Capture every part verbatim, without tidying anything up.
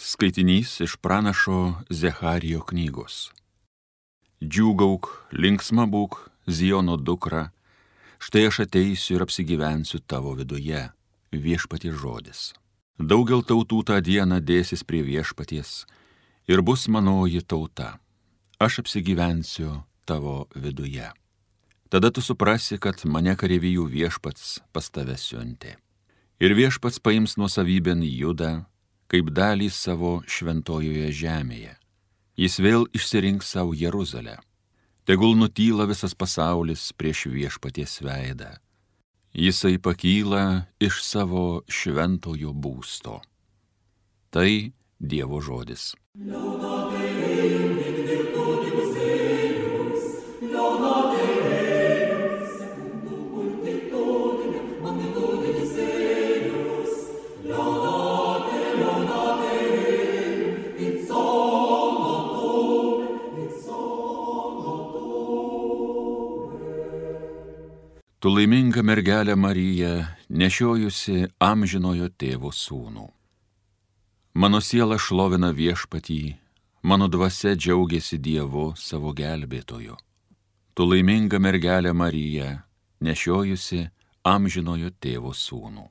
Skaitinys iš pranašo Zecharijo knygos. Džiūgauk, linksma būk, Ziono dukra, štai aš ateisiu ir apsigyvensiu tavo viduje, viešpaties žodis. Daugel tautų tą dieną dėsis prie viešpaties ir bus manoji tauta. Aš apsigyvensiu tavo viduje. Tada tu suprasi, kad mane kareivijų viešpats pas tave siuntė. Ir viešpats paims nuosavybėn Judą, kaip dalį savo šventojoje žemėje. Jis vėl išsirinks savo Jeruzalę. Tegul nutyla visas pasaulis prieš viešpaties veidą. Jisai pakyla iš savo šventojo būsto. Tai Dievo žodis. Tu laiminga mergelė Marija, nešiojusi amžinojo tėvo sūnų. Mano siela šlovina viešpatį, mano dvasia džiaugiasi Dievu savo gelbėtoju. Tu laiminga mergelė Marija, nešiojusi amžinojo tėvo sūnų.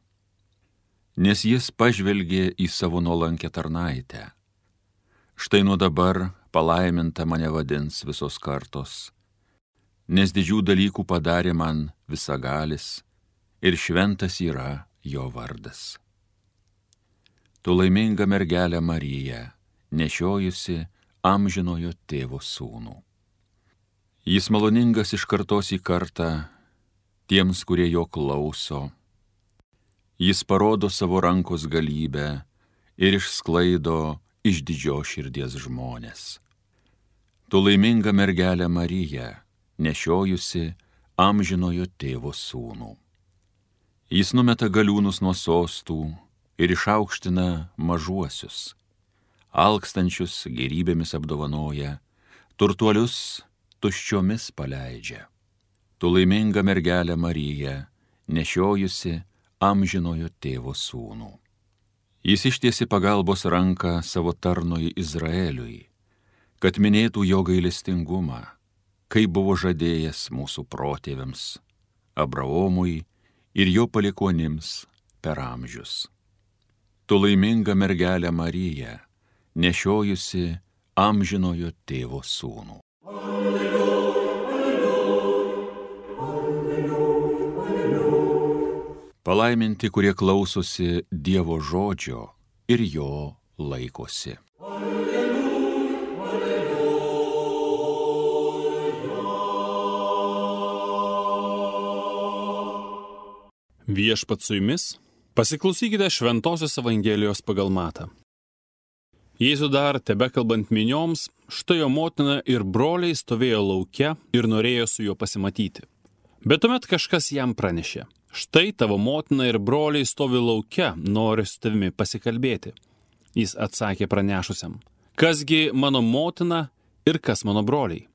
Nes jis pažvelgė į savo nuolankę tarnaitę. Štai nuo dabar palaiminta mane vadins visos kartos, nes didžių dalykų padarė man visagalis ir šventas yra jo vardas. Tu laiminga mergelė Marija, nešiojusi amžinojo tėvo sūnų. Jis maloningas iš kartos į kartą tiems, kurie jo klauso. Jis parodo savo rankos galybę ir išsklaido iš didžios širdies žmonės. Tu laiminga mergelė Marija, nešiojusi amžinojo tėvo sūnų. Jis numeta galiūnus nuo sostų ir išaukština mažuosius, alkstančius gėrybėmis apdovanoja, turtuolius tuščiomis paleidžia. Tu laiminga mergelė Marija, nešiojusi amžinojo tėvo sūnų. Jis ištiesi pagalbos ranką savo tarnui Izraeliui, kad minėtų jo gailestingumą, kaip buvo žadėjęs mūsų protėviams, Abraomui ir jo palikuonims per amžius. Tu laiminga mergelė Marija, nešiojusi amžinojo tėvo sūnų. Alleluja, alleluja, alleluja, alleluja. Palaiminti, kurie klausosi Dievo žodžio ir jo laikosi. Viešpats su jumis, pasiklausykite Šventosios Evangelijos pagal Matą. Jėzus dar tebekalbant minioms, štai jo motina ir broliai stovėjo lauke ir norėjo su juo pasimatyti. Bet tuomet kažkas jam pranešė: štai tavo motina ir broliai stovi lauke, nori su tavimi pasikalbėti. Jis atsakė pranešusiam: kasgi mano motina ir kas mano broliai?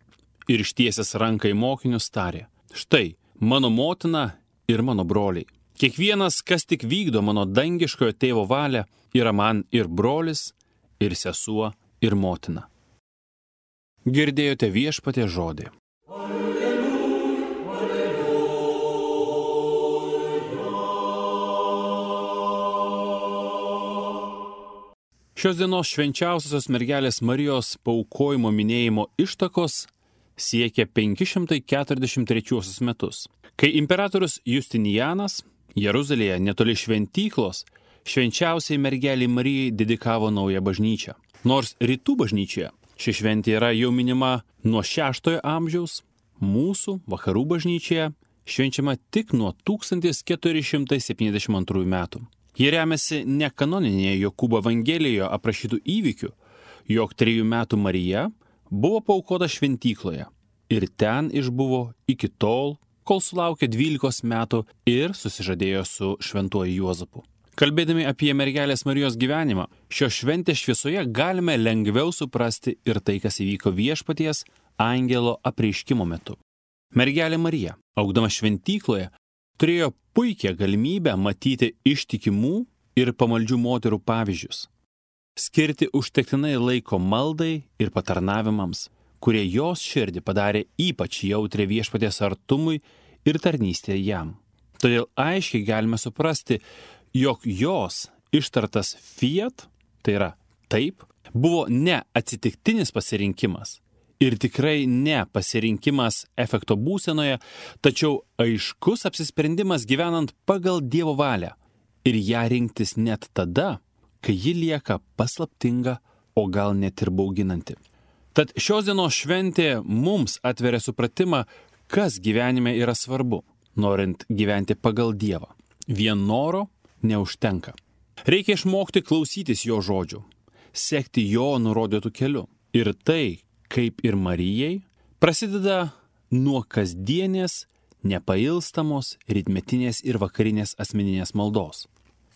Ir ištiesęs ranką į mokinius tarė: štai mano motina ir mano broliai. Kiekvienas, kas tik vykdo mano dangiškojo tėvo valią, yra man ir brolis, ir sesuo, ir motina. Girdėjote viešpaties žodį. Alleluja, alleluja. Šios dienos švenčiausiosios mergelės Marijos paaukojimo minėjimo ištakos siekia penki šimtai keturiasdešimt trečiuosius metus, kai imperatorius Justinianas Jeruzalėje netoli šventyklos švenčiausiai mergelei Marijai dedikavo naują bažnyčią. Nors rytų bažnyčioje ši šventė yra jau minima nuo šeštojo amžiaus, mūsų vakarų bažnyčioje švenčiama tik nuo tūkstantis keturi šimtai septyniasdešimt antrųjų metų. Ji remiasi ne kanoninėje Jokūbo Evangelijoje aprašytų įvykių, jog trejų metų Marija buvo paaukota šventykloje ir ten išbuvo iki tol, kol sulaukė dvylikos metų ir susižadėjo su šventuoju Juozapu. Kalbėdami apie mergelės Marijos gyvenimą, šios šventės šviesoje galime lengviau suprasti ir tai, kas įvyko viešpaties angelo apreiškimo metu. Mergelė Marija, augdama šventykloje, turėjo puikią galimybę matyti ištikimų ir pamaldžių moterų pavyzdžius. skirti užtektinai laiko maldai ir patarnavimams, kurie jos širdį padarė ypač jautrę viešpaties artumui ir tarnystė jam. Todėl aiškiai galime suprasti, jog jos ištartas fiat, tai yra taip, buvo ne atsitiktinis pasirinkimas ir tikrai ne pasirinkimas efekto būsenoje, tačiau aiškus apsisprendimas gyvenant pagal Dievo valią ir ją rinktis net tada, kai ji lieka paslaptinga, o gal net ir bauginanti. Tad šios dienos šventė mums atveria supratimą, kas gyvenime yra svarbu, norint gyventi pagal Dievą. Vien noro neužtenka. Reikia išmokti klausytis jo žodžių, sekti jo nurodytų keliu. Ir tai, kaip ir Marijai, prasideda nuo kasdienės, nepailstamos, rytmetinės ir vakarinės asmeninės maldos.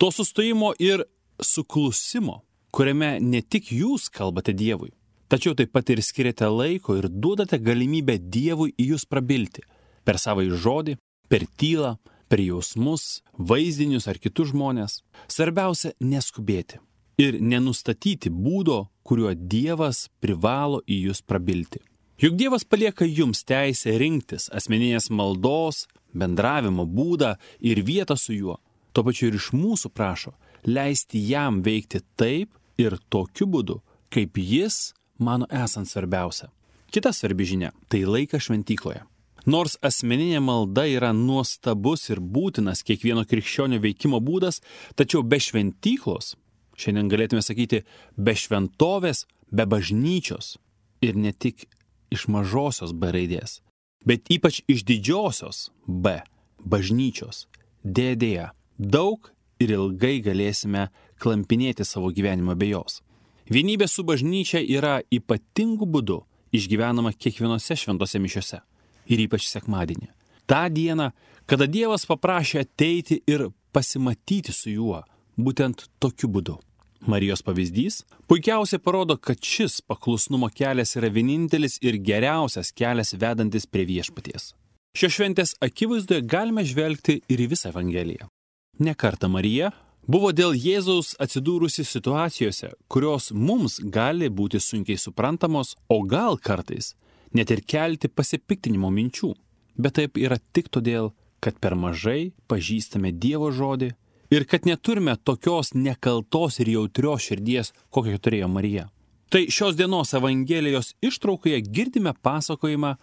To sustojimo ir suklusimo, kuriame ne tik jūs kalbate Dievui, tačiau taip pat ir skiriate laiko ir duodate galimybę Dievui į jūs prabilti per savąjį žodį, per tylą, per jausmus, vaizdinius ar kitus žmonės. Svarbiausia neskubėti ir nenustatyti būdo, kuriuo Dievas privalo į jūs prabilti. Juk Dievas palieka jums teisę rinktis asmeninės maldos, bendravimo būdą ir vietą su juo. Tuo pačiu ir iš mūsų prašo leisti jam veikti taip ir tokiu būdu, kaip jis mano esant svarbiausia. Kita svarbi žinia – tai laikas šventykloje. Nors asmeninė malda yra nuostabus ir būtinas kiekvieno krikščionio veikimo būdas, tačiau be šventyklos, šiandien galėtume sakyti, be šventovės, be bažnyčios ir ne tik iš mažosios B raidės, bet ypač iš didžiosios B, bažnyčios, dėdėje, daug ir ilgai galėsime klampinėti savo gyvenimą be jos. Vienybė su bažnyčia yra ypatingu būdu išgyvenama kiekvienose šventose mišiose ir ypač sekmadienį. Ta diena, kada Dievas paprašė ateiti ir pasimatyti su juo, būtent tokiu būdu. Marijos pavyzdys puikiausiai parodo, kad šis paklusnumo kelias yra vienintelis ir geriausias kelias vedantis prie viešpaties. Šios šventės akivaizdoje galime žvelgti ir į visą Evangeliją. Ne kartą Marija buvo dėl Jėzaus atsidūrusi situacijose, kurios mums gali būti sunkiai suprantamos, o gal kartais net ir kelti pasipiktinimo minčių. Bet taip yra tik todėl, kad per mažai pažįstame Dievo žodį ir kad neturime tokios nekaltos ir jautrios širdies, kokią turėjo Marija. Tai šios dienos Evangelijos ištraukoje girdime pasakojimą,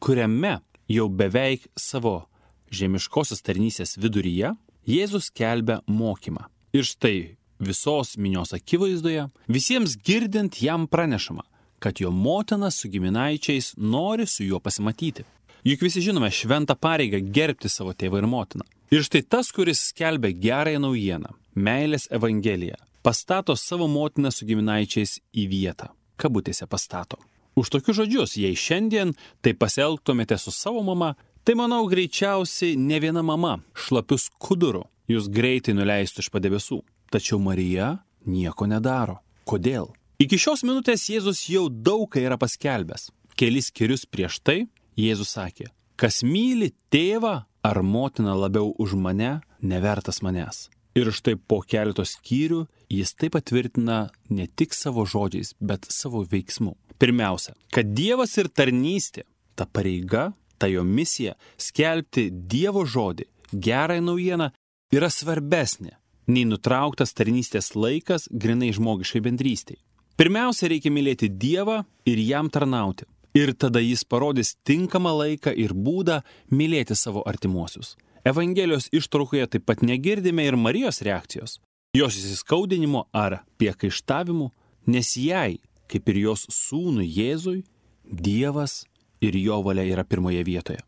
kuriame jau beveik savo žemiškosios tarnystės viduryje Jėzus skelbia mokymą. Ir štai visos minios akivaizdoje visiems girdint jam pranešama, kad jo motina su giminaičiais nori su juo pasimatyti. Juk visi žinome šventą pareigą gerbti savo tėvą ir motiną. Ir štai tas, kuris skelbia gerąją naujieną, meilės evangeliją, pastato savo motiną su giminaičiais į vietą. Kabutėse pastato. Už tokius žodžius, jei šiandien tai pasielgtumėte su savo mama, tai manau greičiausiai ne viena mama šlapius skuduru jūs greitai nuleistų iš padebesų. Tačiau Marija nieko nedaro. Kodėl? Iki šios minutės Jėzus jau daug ką yra paskelbęs. Kelis skyrius prieš tai Jėzus sakė, kas myli tėvą ar motiną labiau už mane, nevertas manęs. Ir štai po keletos skyrių jis taip patvirtina ne tik savo žodžiais, bet savo veiksmu. Pirmiausia, kad Dievas ir tarnystė, ta pareiga, ta jo misija, skelbti Dievo žodį, gerąją naujieną, yra svarbesnė nei nutrauktas tarnystės laikas grinai žmogiškai bendrystei. Pirmiausia, reikia mylėti Dievą ir jam tarnauti. Ir tada jis parodys tinkamą laiką ir būdą mylėti savo artimuosius. Evangelijos ištraukoje taip pat negirdime ir Marijos reakcijos, jos įsiskaudinimo ar priekaištavimų, nes jai, kaip ir jos sūnui Jėzui, Dievas ir jo valia yra pirmoje vietoje.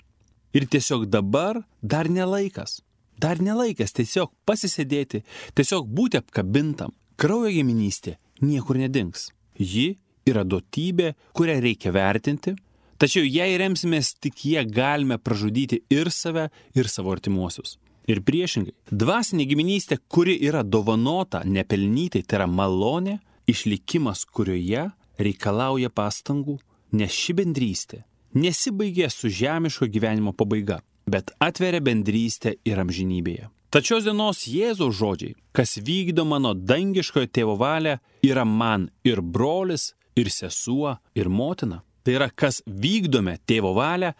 Ir tiesiog dabar dar nelaikas, dar nelaikas tiesiog pasisėdėti, tiesiog būti apkabintam. Kraujo giminystė niekur nedings. Ji yra duotybė, kurią reikia vertinti, tačiau jei remsimės tik jie galime pražudyti ir save, ir savo artimuosius. Ir priešingai, dvasinė giminystė, kuri yra dovanota nepelnytai, tai yra malonė, išlikimas, kurioje reikalauja pastangų, nes ši bendrystė nesibaigia su žemiško gyvenimo pabaiga, bet atveria bendrystę ir amžinybėje. Tad šios dienos Jėzaus žodžiai, kas vykdo mano dangiškojo tėvo valią, yra man ir brolis, ir sesuo, ir motina. Tai yra, kas vykdome tėvo valią,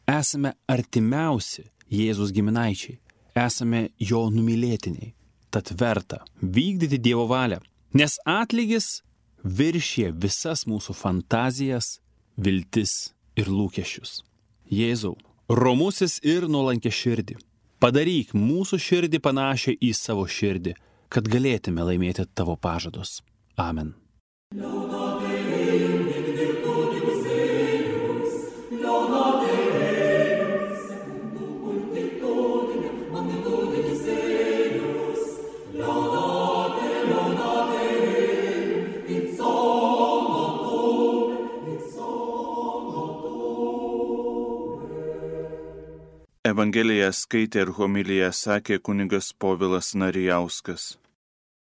esame artimiausi Jėzus giminaičiai, esame jo numylėtiniai. Tad verta vykdyti Dievo valią, nes atlygis viršė visas mūsų fantazijas, viltis ir lūkesčius. Jėzau, romusis ir nuolankia širdį, padaryk mūsų širdį panašią į savo širdį, kad galėtume laimėti tavo pažadus. Amen. Evangeliją skaitė ir homiliją sakė kunigas Povilas Narijauskas.